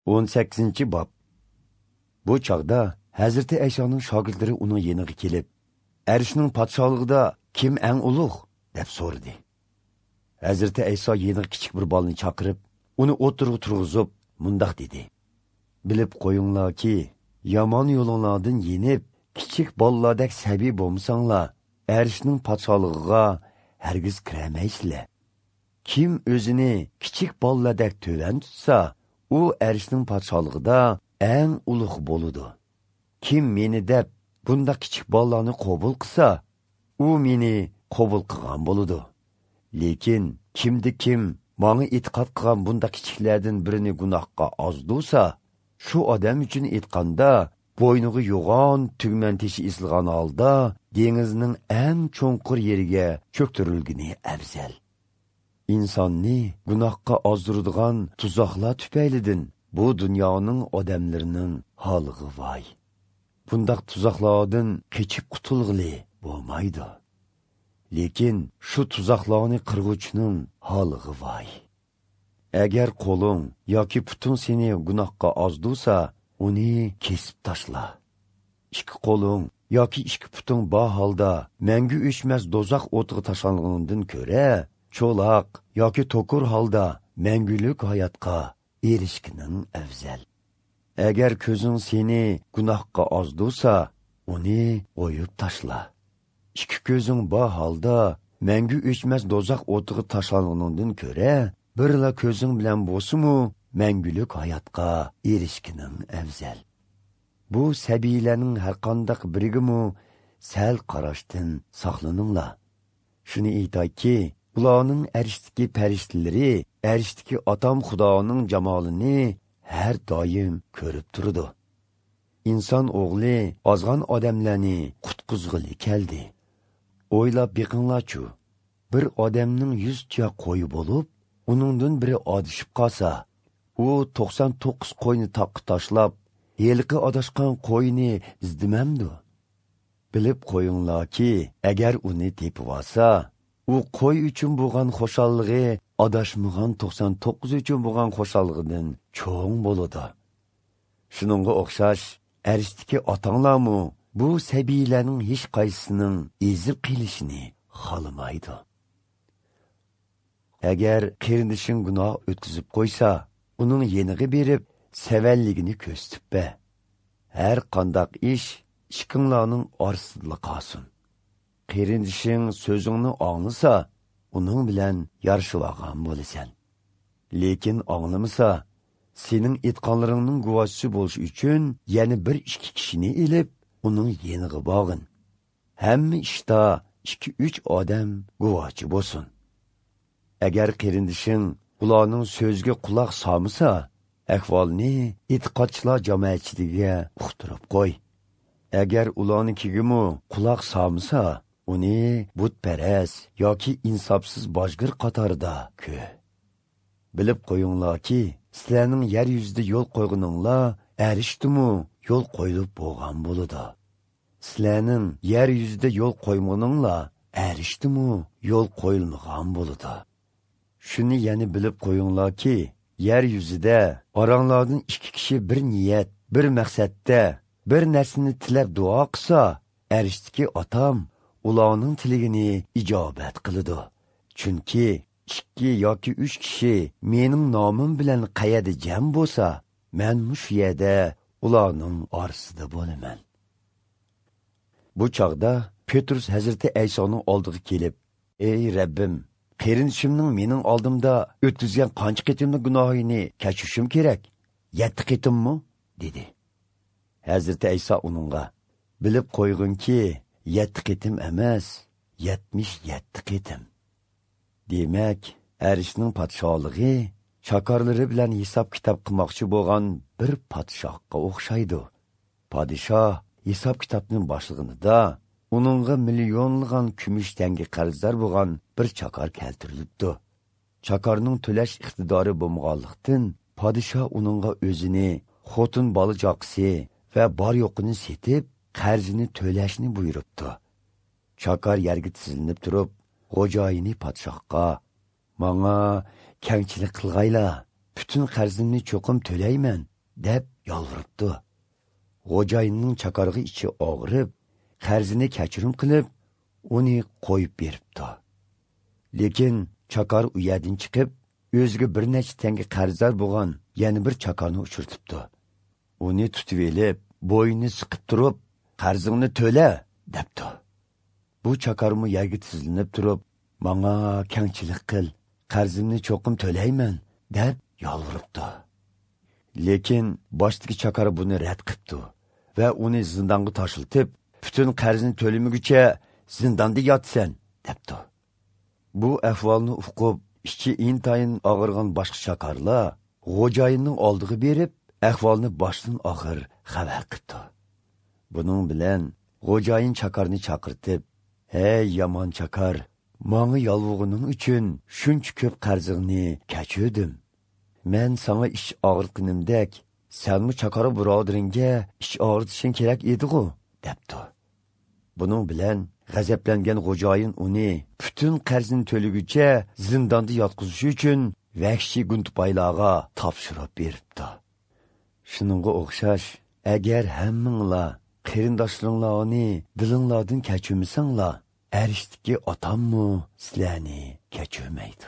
18 bob. Bu chog'da Hazrati Aysoning shogirdlari uning yeniga kelib, "Arshning podsholig'ida kim eng ulug'?" deb so'radi. Hazrati Ayso yeniga kichik bir bolani chaqirib, uni o'tirg'i turg'izib, mundoq dedi: "Bilib qo'yinglarki, yomon yo'linglardan yenib, kichik bolalardek sabiy bo'lmasanglar, Arshning podsholig'iga hargiz kiramaysizlar. Kim o'zini kichik bolalardek tuvan tutsa, u Arshning podsholig'ida eng ulug' bo'ladi. Kim meni deb bunda kichik bolalarni qabul qilsa, u meni qabul qilgan bo'ladi. Lekin kimdi kim manga e'tiqod qilgan bunda kichiklardan birini gunohga ozdursa, shu odam uchun aytganda bo'yniga yo'g'on tugman teshi esilgan holda dengizning eng cho'nqur yeriga cho'ktirilgani afzal. Insonni gunohga ozdiradigan tuzoqlar tufaylidan bu dunyoning odamlarining holig'i voy. Bundaq tuzoqlardan qechib qutulg'ili bo'lmaydi. Lekin shu tuzoqlarni qirg'uvchining holig'i voy. Agar qo'ling yoki puting seni gunohga ozdursa, uni kesib tashla. Ikki qo'ling yoki ikki puting bor holda mangu o'chmas do'zax o'tiga tashlangandan ko'ra, cho'loq yoki to'kur holda mangulik hayotga erishkining afzal. Agar ko'zing seni gunohga ozdursa, uni o'yib tashla. Ikki ko'zing bor holda mangu o'chmas do'zax o'tiga tashlangandan ko'ra, birla ko'zing bilan bo'lsa-mu mangulik hayotga erishkining afzal. Bu sabiylarning har qandaq birigimu sal qarashdan saqlaninglar. Shuni aytayki, ularning arishdagi farishtalari arishdagi otam Xudoning jamolini har doim ko'rib turdi. Inson o'g'li ozg'on odamlarni qutqizg'ili keldi. O'ylab beqinglar-chu, bir odamning 100 tuya qo'yi bo'lib, uningdan biri adashib qolsa, u 99 qo'yni toqqa tashlab, yelqi adashgan qo'yni izdimamdi. Bilib qo'yinglarki, agar uni tepib olsa, u qo'y uchun bo'lgan xoshallig'i adashmagan 99 uchun bo'lgan xoshallig'idan cho'ng bo'ladi. Shuningga o'xshash arishdagi otanglarmu bu sabiylarning hech qaysisining ezib qilishini xohlamaydi. Agar qarindishing gunoh o'tkazib qo'ysa, uning yeniga berib, savalligini ko'rsatib ber. Har qandaq ish ikkinglarning orasida qolsin. Qarindishing so'zingni anglasa, uning bilan yarashib olgan bo'lasan. Lekin anglamasa, sening aytganlaringning guvohchisi bo'lish uchun yana bir ikki kishini ilib, uning yeniga bog'in. Hamma ishda 2-3 odam guvohchi bo'lsin. Agar qarindishing ularning so'ziga quloq solmasa, ahvolni e'tiqodchilar jamoatchiligiga uqtirib qo'y. Agar ularnikigimu quloq solmasa, uni butparast yoki insofsiz bojgir qatorida ko'r. Bilib qo'yinglarki, sizlarning yer yuzida yo'l qo'yganinglar arishdimi yo'l qo'yilib bo'lgan bo'ladi. Sizlarning yer yuzida yo'l qo'ymaganinglar arishdimi yo'l qo'yilmagan bo'ladi. Shuni yana bilib qo'yinglarki, yer yuzida oranglardan ikki kishi bir niyat, bir maqsadda bir narsani tilab duo qilsa, arishdagi otam ularning tiligini ijobat qiladi. Chunki 2 yoki 3 kishi mening nomim bilan qayerda jam bo'lsa, men shu yerda ularning orasida bo'laman. Bu chog'da Petrus Hazrati Aysoning oldiga kelib, "Ey Rabbim, qarindishimning mening oldimda o'tkazgan qancha qitimli gunohini kechirishim kerak? 7 qitimmi?" dedi. Hazrati Ayso uningga, "Bilib qo'yg'inki, 7 qitim emas, 77 qitim." Demak, Arishning podsholig'i chakorlari bilan hisob-kitob qilmoqchi bo'lgan bir podshohga o'xshaydi. Podshoh hisob-kitobning boshlig'inida uningga millionlagan kumush tanga qarzdor bo'lgan bir chakor keltirilibdi. Chakorning to'lash iqtidori bo'lmaganlikdan podshoh uningga o'zini, xotin bola chaqasi va bor yo'qini setib, qarzini to'lashni buyuribdi. Chakor yerga tizilinib turib, xo'jayini podshohga: "Manga kengchilik qilg'ayla, butun qarzimni cho'qim to'layman" deb yolvoribdi. Xo'jayinning chakarg'i ichi og'rib, qarzini kechirim qilib, uni qo'yib beribdi. Lekin chakar u yerdan chiqib, o'ziga bir necha tanga qarzdor bo'lgan yana bir chakarni uchirtibdi. Uni tutib elib, bo'yni siqib turib, qarzingni to'la, debdi. Bu chakarmi yerga tizlinib turib, manga kengchilik qil, qarzimni cho'qim to'layman, deb yolvoribdi. Lekin boshdagi chakar buni rad qilibdi va uni zindonga tashiltib, butun qarzini to'lamaguncha zindonda yotsan, debdi. Bu ahvolni uqib, ichi intayin og'irgan boshqa chakarlar xo'jayinning oldiga berib, ahvolni boshdan oxir xabar qildi. Buning bilan xo'jayin chakarni chaqirtib, "Ey yomon chakar, manga yolvug'ining uchun shuncha ko'p qarzingni kechirdim. Men sana ish og'ritganimdek, senmi chakara birodaringga ish og'ritishing kerak edi-ku", debdi. Buning bilan g'azablangan xo'jayin uni butun qarzini to'laguncha zindonda yotqizish uchun vahshiy guntupaylarga topshirib beribdi. Shuningga o'xshash, agar hammanglar qarindoshlaringlarni dilinglardan kechirmasanglar, arishdagi otammi sizlarni kechirmaydi.